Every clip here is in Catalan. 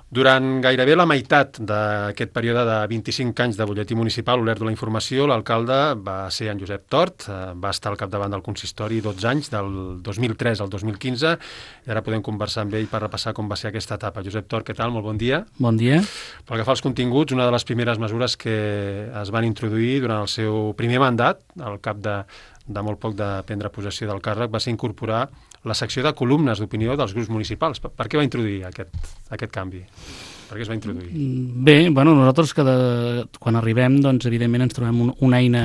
Durant gairebé la meitat d'aquest període de 25 anys de butlletí municipal obert de la informació, l'alcalde va ser en Josep Tort, va estar al capdavant del consistori 12 anys, del 2003 al 2015, i ara podem conversar amb ell per repassar com va ser aquesta etapa. Josep Tort, què tal? Molt bon dia. Bon dia. Pel que fa als continguts, una de les primeres mesures que es van introduir durant el seu primer mandat, al cap de molt poc de prendre possessió del càrrec, va ser incorporar la secció de columnes d'opinió dels grups municipals. Per què va introduir aquest canvi? Per què es va introduir? Bé, nosaltres quan arribem, doncs, evidentment ens trobem una eina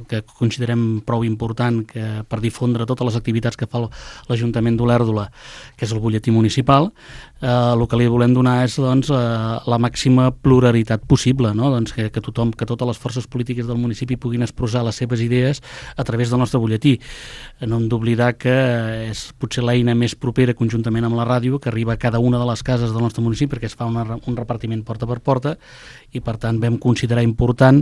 que considerem prou important per difondre totes les activitats que fa l'Ajuntament d'Olèrdola, que és el butlletí municipal. El que li volem donar és, doncs, la màxima pluralitat possible, no? Doncs que totes les forces polítiques del municipi puguin expressar les seves idees a través del nostre butlletí. No hem d'oblidar que és potser l'eina més propera, conjuntament amb la ràdio, que arriba a cada una de les cases del nostre municipi, perquè es fa un repartiment porta per porta, i per tant vam considerar important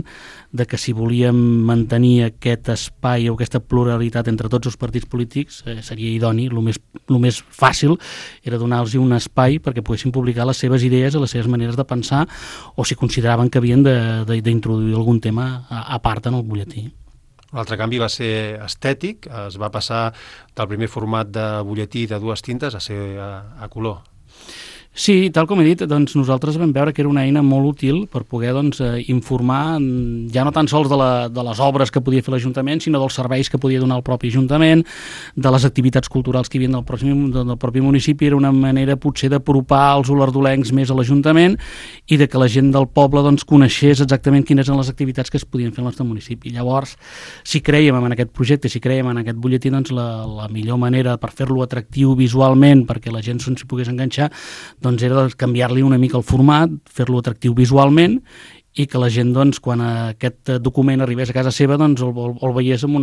que si volíem mantenir aquest espai o aquesta pluralitat entre tots els partits polítics, seria idoni, el més fàcil era donar-los un espai perquè poguessin publicar les seves idees i les seves maneres de pensar, o si consideraven que havien d'introduir algun tema a part en el butlletí. L'altre canvi va ser estètic, es va passar del primer format de butlletí de 2 tintes a ser a color. Sí, tal com he dit, doncs nosaltres vam veure que era una eina molt útil per poder informar ja no tan sols de les obres que podia fer l'Ajuntament, sinó dels serveis que podia donar el propi Ajuntament, de les activitats culturals que hi havia del propi municipi. Era una manera potser d'apropar els olerdolencs més a l'Ajuntament i de que la gent del poble coneixés exactament quines eren les activitats que es podien fer al nostre municipi. Llavors, si crèiem en aquest projecte, si crèiem en aquest butlletí, doncs la millor manera per fer-lo atractiu visualment perquè la gent s'hi pogués enganxar doncs era canviar-li una mica el format, fer-lo atractiu visualment i que la gent, doncs, quan aquest document arribés a casa seva, doncs el veiés amb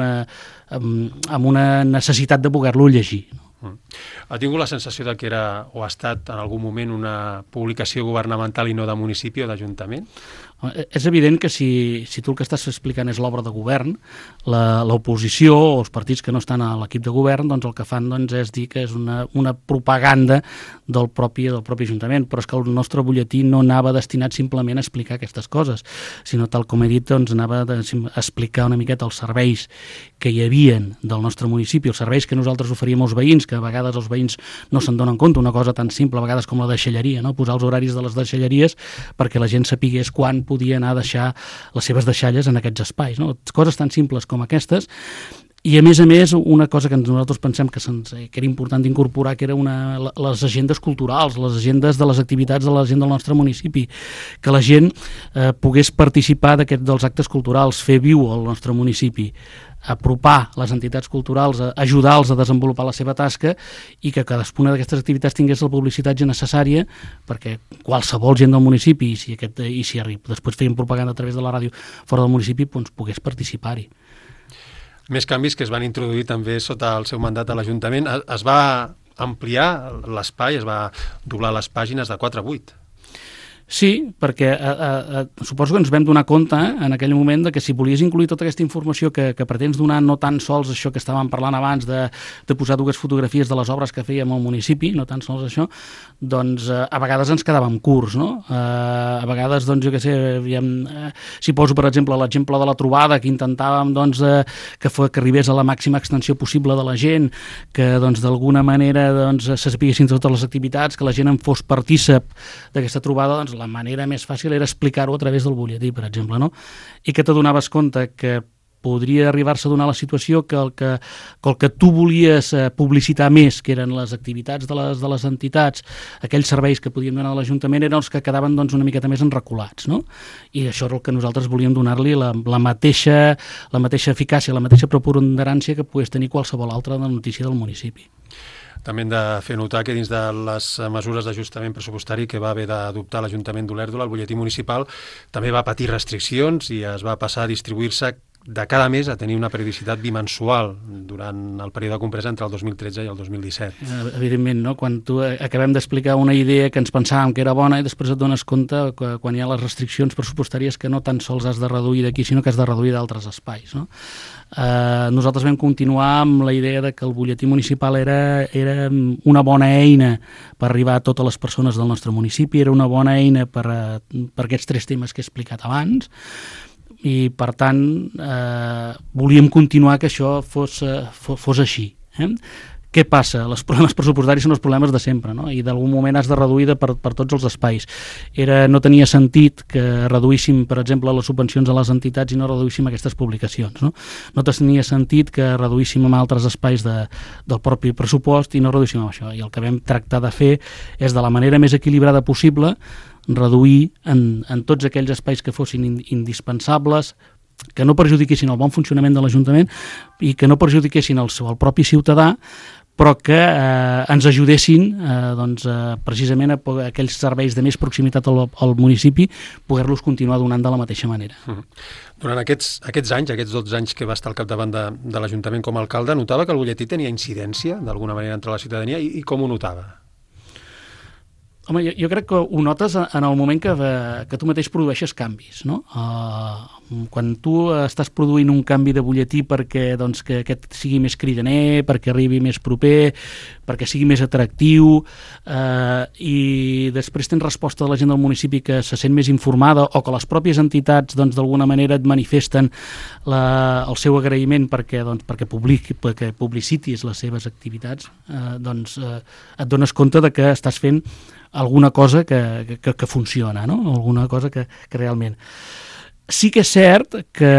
una necessitat de poder-lo llegir. Ha tingut la sensació de que era o ha estat en algun moment una publicació governamental i no de municipi o d'Ajuntament? És evident que si tu el que estàs explicant és l'obra de govern, l'oposició o els partits que no estan a l'equip de govern, doncs el que fan és dir que és una propaganda del propi Ajuntament, però és que el nostre butlletí no anava destinat simplement a explicar aquestes coses, sinó, tal com he dit, doncs anava a explicar una miqueta els serveis que hi havien del nostre municipi, els serveis que nosaltres oferíem als veïns, que a vegades els veïns no se'n donen compte, una cosa tan simple a vegades com la deixalleria, no? Posar els horaris de les deixalleries perquè la gent sapigués quan podia anar a deixar les seves deixalles en aquests espais, no? Coses tan simples com aquestes. I a més, una cosa que nosaltres pensem que era important d'incorporar, que era les agendes culturals, les agendes de les activitats de la gent del nostre municipi, que la gent pogués participar dels actes culturals, fer viu el nostre municipi, apropar les entitats culturals, ajudar-los a desenvolupar la seva tasca i que cadascuna d'aquestes activitats tingués la publicitat necessària perquè qualsevol gent del municipi, i si després feien propaganda a través de la ràdio fora del municipi, doncs pogués participar-hi. Més canvis que es van introduir també sota el seu mandat a l'Ajuntament. Es va ampliar l'espai, es va doblar les pàgines de 4 a 8. Sí, perquè suposo que ens vam donar compte en aquell moment que si volies incluir tota aquesta informació que pretens donar, no tan sols això que estàvem parlant abans de posar 2 fotografies de les obres que fèiem al municipi, no tan sols això, doncs a vegades ens quedàvem curts, no? A vegades, doncs jo què sé, si poso per exemple l'exemple de la trobada, que intentàvem doncs que arribés a la màxima extensió possible de la gent, que doncs d'alguna manera doncs se sapiguessin totes les activitats, que la gent en fos partícip d'aquesta trobada, doncs la manera més fàcil era explicar-ho a través del butlletí, per exemple, no? I que t'adonaves compte que podria arribar-se a donar la situació que el que tu volies publicitar més, que eren les activitats de les entitats, aquells serveis que podien donar a l'Ajuntament, eren els que quedaven doncs una miqueta més enreculats, no? I això és el que nosaltres volíem donar-li la mateixa eficàcia, la mateixa preponderància que pogués tenir qualsevol altra notícia del municipi. També hem de fer notar que dins de les mesures d'ajustament pressupostari que va haver d'adoptar l'Ajuntament d'Olèrdola, el butlletí municipal també va patir restriccions i es va passar a distribuir-se de cada mes a tenir una periodicitat bimensual durant el període comprès entre el 2013 i el 2017. Evidentment, no? Quan tu acabem d'explicar una idea que ens pensàvem que era bona i després et dones compte que quan hi ha les restriccions pressupostàries que no tan sols has de reduir d'aquí, sinó que has de reduir d'altres espais, no? Nosaltres vam continuar amb la idea de que el butlletí municipal era una bona eina per arribar a totes les persones del nostre municipi, era una bona eina per aquests 3 temes que he explicat abans, i per tant volíem continuar que això fos així. Què passa? Els problemes pressupostaris són els problemes de sempre, no? I d'algun moment has de reduir per tots els espais. No tenia sentit que reduíssim, per exemple, les subvencions a les entitats i no reduíssim aquestes publicacions. No tenia sentit que reduíssim en altres espais del propi pressupost i no reduíssim amb això. I el que vam tractar de fer és, de la manera més equilibrada possible, reduir en tots aquells espais que fossin indispensables, que no perjudiquessin el bon funcionament de l'Ajuntament i que no perjudiquessin el propi ciutadà, però que ens ajudessin precisament a aquells serveis de més proximitat al municipi, poder-los continuar donant de la mateixa manera. Durant aquests anys, aquests 12 anys que va estar al capdavant de l'Ajuntament com a alcalde, notava que el butlletí tenia incidència d'alguna manera entre la ciutadania i com ho notava? Home, jo crec que ho notes en el moment que tu mateix produeixes canvis, no? Quan tu estàs produint un canvi de butlletí perquè que aquest sigui més cridaner, perquè arribi més proper, perquè sigui més atractiu, i després tens resposta de la gent del municipi que se sent més informada o que les pròpies entitats d'alguna manera et manifesten el seu agraïment perquè publicitis les seves activitats, et dones compte de que estàs fent alguna cosa que funciona, no? Alguna cosa que realment... Sí que és cert que,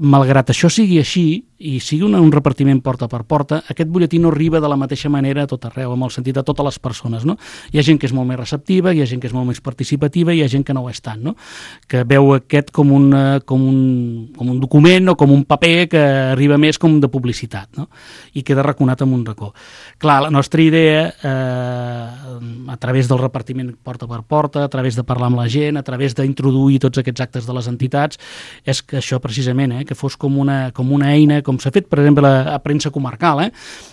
malgrat això sigui així, i sigui un repartiment porta per porta, aquest butlletí no arriba de la mateixa manera a tot arreu, amb el sentit de totes les persones, no? Hi ha gent que és molt més receptiva, hi ha gent que és molt més participativa i hi ha gent que no ho és tant, no? Que veu aquest com un document o com un paper que arriba més com de publicitat, no? I queda raconat amb un racó. Clar, la nostra idea, a través del repartiment porta per porta, a través de parlar amb la gent, a través d'introduir tots aquests actes de les entitats, és que això precisament, que fos com una eina, com s'ha fet, per exemple, a premsa comarcal,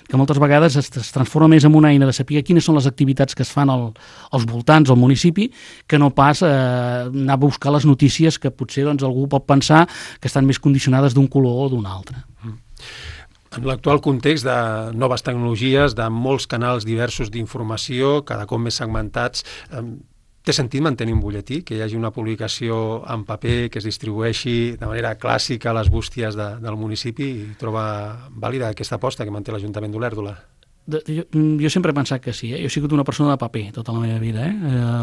que moltes vegades es transforma més en una eina de saber quines són les activitats que es fan als voltants, al municipi, que no pas anar a buscar les notícies que potser algú pot pensar que estan més condicionades d'un color o d'un altre. En l'actual context de noves tecnologies, de molts canals diversos d'informació, cada cop més segmentats, té sentit mantenir un butlletí, que hi hagi una publicació en paper que es distribueixi de manera clàssica a les bústies del municipi, i troba vàlida aquesta aposta que manté l'Ajuntament d'Olèrdola? Jo sempre he pensat que sí. Jo he sigut una persona de paper tota la meva vida.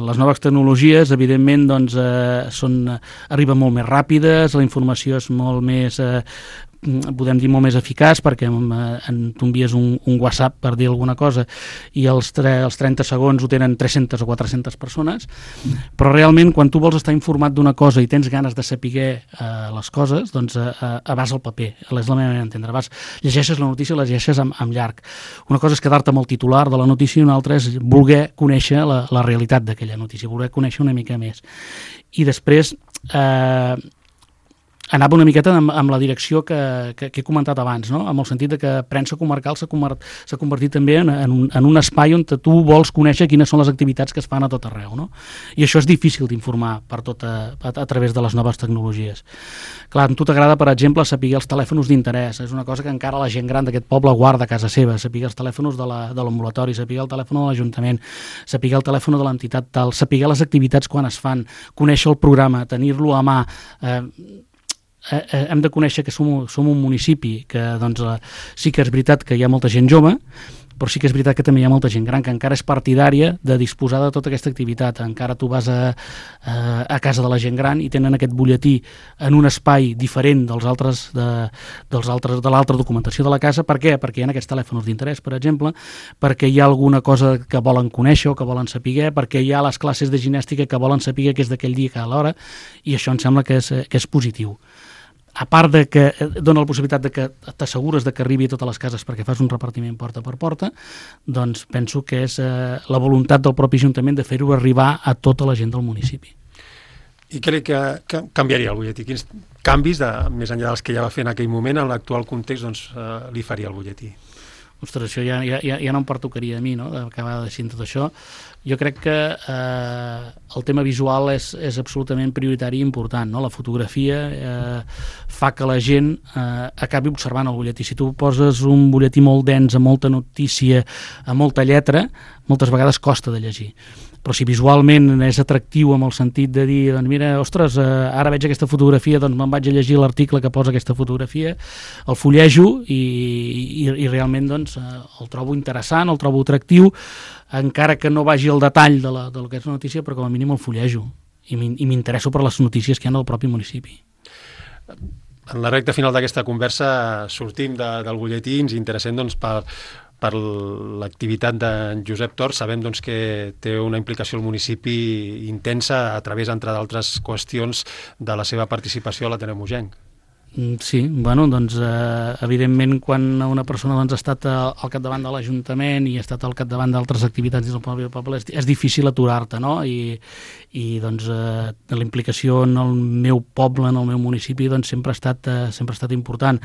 Les noves tecnologies, evidentment, arriben molt més ràpides, la informació és molt més... podem dir molt més eficaç, perquè tu envies un WhatsApp per dir alguna cosa i els 30 segons ho tenen 300 o 400 persones, però realment quan tu vols estar informat d'una cosa i tens ganes de saber les coses, vas al paper, és la meva manera d'entendre. Llegeixes la notícia, la llegeixes amb llarg. Una cosa és quedar-te amb el titular de la notícia i una altra és voler conèixer la realitat d'aquella notícia, voler conèixer una mica més. I després anava una miqueta amb la direcció que he comentat abans, no? Amb el sentit que premsa comarcal s'ha convertit també en un espai on tu vols conèixer quines són les activitats que es fan a tot arreu, no? I això és difícil d'informar a través de les noves tecnologies. Clar, a tu t'agrada, per exemple, saber els telèfons d'interès. És una cosa que encara la gent gran d'aquest poble guarda a casa seva, saber els telèfons de l'ambulatori, saber el telèfon de l'Ajuntament, saber el telèfon de l'entitat tal, saber les activitats quan es fan, conèixer el programa, tenir-lo a mà. Hem de conèixer que som un municipi que sí que és veritat que hi ha molta gent jove, però sí que és veritat que també hi ha molta gent gran que encara és partidària de disposar de tota aquesta activitat. Encara tu vas a casa de la gent gran i tenen aquest butlletí en un espai diferent de l'altra documentació de la casa. Per què? Perquè hi ha aquests telèfons d'interès, per exemple, perquè hi ha alguna cosa que volen conèixer o que volen saber, perquè hi ha les classes de ginèstica que volen saber que és d'aquell dia que a l'hora, i això em sembla que és positiu. A part de que dona la possibilitat de que t'assegures que arribi a totes les cases perquè fas un repartiment porta per porta, doncs penso que és la voluntat del propi Ajuntament de fer-ho arribar a tota la gent del municipi. I què canviaria el butlletí? Quins canvis, més enllà dels que ja va fer en aquell moment, en l'actual context, li faria el butlletí? Ostres, això ja no em pertocaria a mi, no?, d'acabar deixant tot això. Jo crec que el tema visual és absolutament prioritari i important, no? La fotografia fa que la gent acabi observant el butlletí. Si tu poses un butlletí molt dens, amb molta notícia, amb molta lletra, moltes vegades costa de llegir. Però si visualment és atractiu amb el sentit de dir, doncs mira, ostres, ara veig aquesta fotografia, doncs me'n vaig a llegir l'article que posa aquesta fotografia, el fullejo i realment doncs, el trobo interessant, el trobo atractiu, encara que no vagi al detall del que és la notícia, però com a mínim el fullejo i m'interesso per les notícies que hi ha del propi municipi. En la recta final d'aquesta conversa sortim del butlletí, ens interessem doncs, per l'activitat d'en Josep Tort. Sabem doncs, que té una implicació al municipi intensa a través, entre d'altres qüestions, de la seva participació a l'Ateneu Mogenc. Sí, bueno, doncs evidentment quan una persona doncs, ha estat al capdavant de l'Ajuntament i ha estat al capdavant d'altres activitats del poble, és difícil aturar-te, no? I doncs la implicació en el meu poble, en el meu municipi, doncs sempre ha estat important.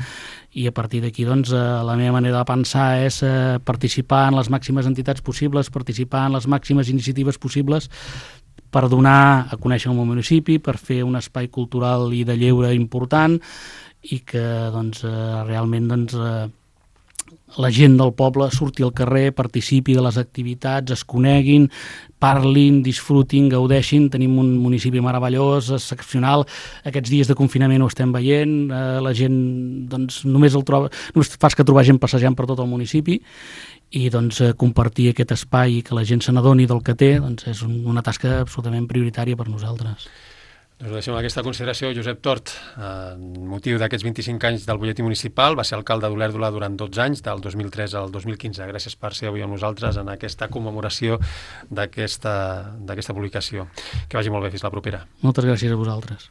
I a partir d'aquí doncs la meva manera de pensar és participar en les màximes entitats possibles, participar en les màximes iniciatives possibles per donar a conèixer el meu municipi, per fer un espai cultural i de lleure important i que doncs, realment doncs, la gent del poble surti al carrer, participi de les activitats, es coneguin, parlin, disfrutin, gaudeixin. Tenim un municipi meravellós, excepcional. Aquests dies de confinament ho estem veient. La gent doncs, només fas que trobar gent passejant per tot el municipi i doncs, compartir aquest espai i que la gent se n'adoni del que té doncs, és una tasca absolutament prioritària per nosaltres. Doncs ho deixem aquesta consideració. Josep Tort, motiu d'aquests 25 anys del butlletí municipal, va ser alcalde d'Olèrdola durant 12 anys, del 2003 al 2015. Gràcies per ser avui amb nosaltres en aquesta commemoració d'aquesta publicació. Que vagi molt bé, fins la propera. Moltes gràcies a vosaltres.